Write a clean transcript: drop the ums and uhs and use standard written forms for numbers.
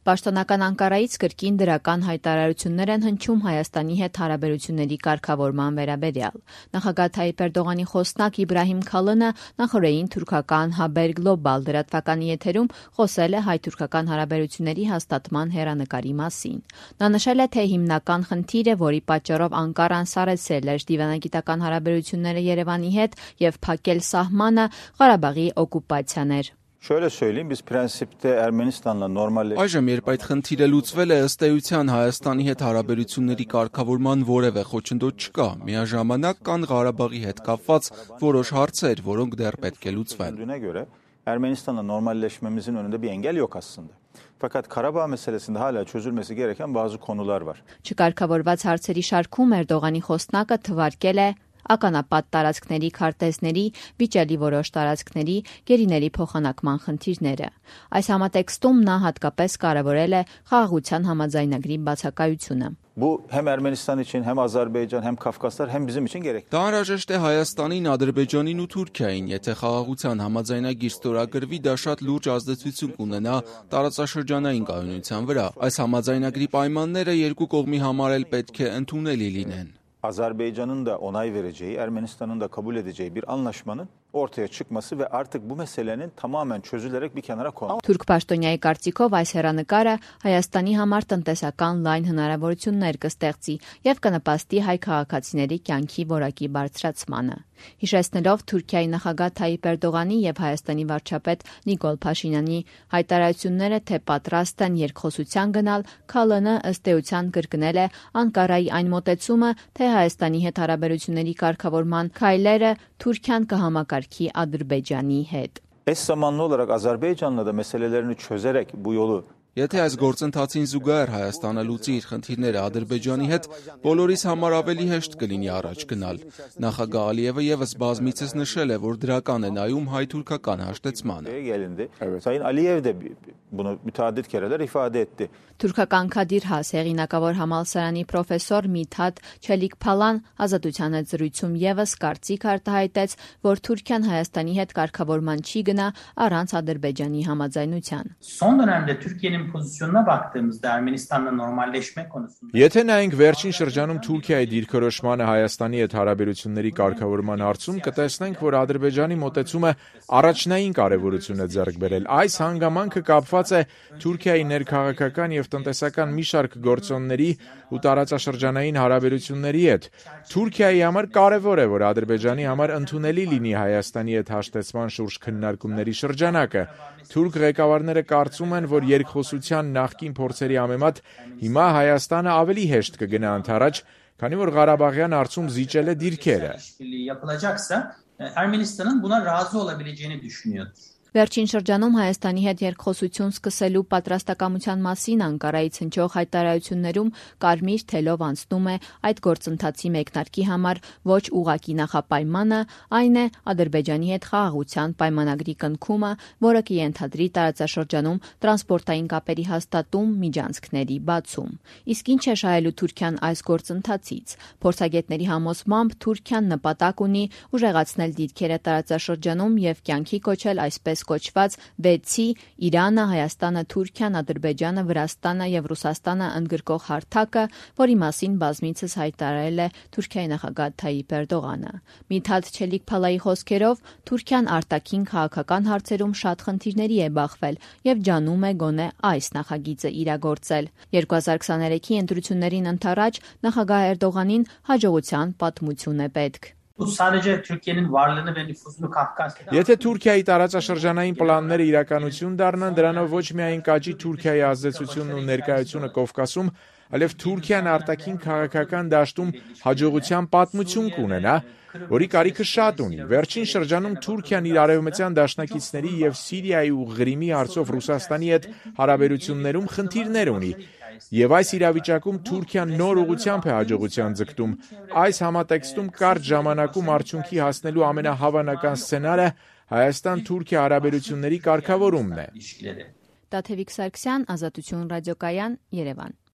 Պաշտոնական Անկարայից կրկին դրական հայտարարություններ են հնչում Հայաստանի հետ հարաբերությունների կարգավորման վերաբերյալ։ Նախագահ Թայիպ Էրդողանի խոսնակ Իբրահիմ Քալինը նախօրեին թուրքական Haber Global լրատվականի եթերում խոսել է հայ-թուրքական հարաբերությունների հաստատման հեռանկարի մասին։ Նա նշել է, թե հիմնական խնդիրը, որի պատճառով Անկարան սառեցրել էր դիվանագիտական հարաբերությունները Երևանի հետ եւ փակել սահմանը, Ղարաբաղի օկուպացիան էր։ Şöyle söyleyeyim, biz prensipte Ermenistan'la normalleştik. Այժմ երբ այդ խնդիրը լուծվել է, ըստ էության Հայաստանի հետ հարաբերությունների կարգավորման որևէ խոչընդոտ չկա։ Միաժամանակ կան Ղարաբաղի հետ կապված որոշ հարցեր, որոնք դեռ պետք է լուծվեն։ Göre Ermenistan'la normalleşmemizin önünde bir engel yok aslında. Fakat Karabağ meselesinde hala çözülmesi gereken bazı konular var. Չկարգավորված հարցերի շարքում Էրդողանի խոսնակը թվարկել է ականապատ տարածքների քարտեզների, վիճելի որոշ տարածքների, գերիների փոխանակման խնդիրները։ Այս համատեքստում նա հատկապես կարևորել է խաղաղության համաձայնագրի բացակայությունը։ Bu hem Ermenistan için hem Azerbaycan hem Kafkaslar hem bizim için gerekli. Դա անհրաժեշտ է Հայաստանին, Ադրբեջանին ու Թուրքիային, եթե խաղաղության համաձայնագիր ստորագրվի, դա շատ լուրջ ազդեցություն կունենա տարածաշրջանային կայունության վրա։ Այս համաձայնագրի պայմանները երկու կողմի համար էլ պետք է ընդունելի լինեն։ Azerbaycan'ın da onay vereceği, Ermenistan'ın da kabul edeceği bir anlaşmanın ortaya çıkması ve artık bu meselenin tamamen çözülerek bir kenara konulması. Թուրք պաշտոնյայի կարծիքով այս հեռանկարը Հայաստանի համար տնտեսական լայն հնարավորություններ կստեղծի եւ կնպաստի հայ քաղաքացիների կյանքի որակի բարձրացմանը։ Հիշեցնելով Թուրքիայի նախագահ Թայիպ Էրդողանի եւ Հայաստանի վարչապետ Նիկոլ Փաշինյանի հայտարարությունները, թե պատրաստ են երկխոսության գնալ, Քալինը ըստ էության կրկնել է Անկարայի այն մոտեցումը, թե Հայաստանի հետ հարաբերությունների կարգավորման քայլերը Թուրքիան կհամակարգի Ադրբեջանի հետ։ Eş zamanlı olarak Azerbaycan'la da meselelerini çözerek bu yolu Եթե այս գործընթացին զուգահեռ Հայաստանը լուծի իր խնդիրները Ադրբեջանի հետ, բոլորիս համար ավելի հեշտ կլինի առաջ գնալ։ Նախագահ Ալիևը եւս բազմիցս նշել է, որ դրական է նայում հայ-թուրքական հաշտեցմանը։ Sayın Aliyev de bunu müteaddit kereler ifade etti. Թուրքական Քադիր Has հեղինակավոր համալսարանի պրոֆեսոր Միթաթ Չելիքփալան Ազատության հետ զրույցում եւս կարծիք արտահայտեց, որ Թուրքիան Հայաստանի հետ կարգավորման չի գնա առանց Ադրբեջանի համաձայնության։ Son dönemde Türkiye'nin pozisyonuna baktığımızda Ermenistan'la normalleşme konusunda Եթե նայենք վերջին շրջանում Թուրքիայի դիրքորոշմանը Հայաստանի հետ հարաբերությունների կարգավորման հարցում, կտեսնենք, որ Ադրբեջանի մոտեցումը առաջնային կարևորություն է ձեռք բերել։ Այս հանգամանքը կապված է Թուրքիայի ներքաղաքական եւ տնտեսական մի շարք գործոնների ու տարածաշրջանային հարաբերությունների հետ։ Թուրքիայի համար կարևոր է, որ Ադրբեջանի համար ընդունելի լինի Հայաստանի հետ հաշտեցման շուրջ քննարկումների շրջանակը։ Թուրք ղեկավարները կարծում են, որ երկխոսության նախկին փորձերի համեմատ հիմա Հայաստանը ավելի հեշտ կգնա ընդառաջ, քանի որ Ղարաբաղյան հարցում զիջել է դիրքերը։ yapılacaksa Ermenistan'ın buna razı olabileceğini düşünüyordur. Վերջին շրջանում Հայաստանի հետ երկխոսություն սկսելու պատրաստակամության մասին Անկարայից հնչող հայտարարություններում կարմիր թելով անցնում է այդ գործընթացի մեկնարկի համար ոչ ուղղակի նախապայմանը, այն է Ադրբեջանի հետ խաղաղության պայմանագրի կնքումը, որը կենթադրի տարածաշրջանում տրանսպորտային կապերի հաստատում, միջանցքների բացում։ Իսկ ինչ է շահելու Թուրքիան այս գործընթացից։ Փորձագետների համոզմամբ Թուրքիան նպատակ ունի ուժեղացնել դիրքերը տարածաշրջանում եւ կյանքի կոչել այսպես կոչված 6-ի Իրանը, Հայաստանը, Թուրքիան, Ադրբեջանը, Վրաստանը եւ Ռուսաստանը ընդգրկող հարթակը, որի մասին բազմիցս հայտարարել է Թուրքիայի նախագահ Թայիպ Էրդողանը։ Միթաթ Չելիքփալայի խոսքերով Թուրքիան արտաքին քաղաքական հարցերում շատ խնդիրների է բախվել եւ ջանում է գոնե այս նախագիծը իրագործել։ 2023-ի ընտրություններին ընդառաջ նախագահ Էրդողանին հաջողության պատմություն է պետք։ Bu sadece Türkiye'nin varlığını ve nüfuzunu Kafkasya'da Եթե Թուրքիայի տարածաշրջանային պլանները իրականություն դառնան, դրանով ոչ միայն կաճի Թուրքիայի ազդեցությունն ու ներկայությունը Կովկասում, այլև Թուրքիան արտաքին քաղաքական դաշտում հաջողության պատմություն կունենա, որի կարիքը շատ ունի։ Վերջին շրջանում Թուրքիան իր արևմտյան դաշնակիցների եւ Սիրիայի ու Ղրիմի հարցով Ռուսաստանի հետ հարաբերություններում խնդիրներ ունի։ Եվ այս իրավիճակում Թուրքիան նոր ուղղությամբ է հաջողության ձգտում։ Այս համատեքստում կարճ ժամանակում արդյունքի հասնելու ամենահավանական սցենարը Հայաստան-Թուրքիա հարաբերությունների կարգավորումն է։ Տաթևիկ Սարգսյան, Ազատություն ռադիոկայան, Երևան։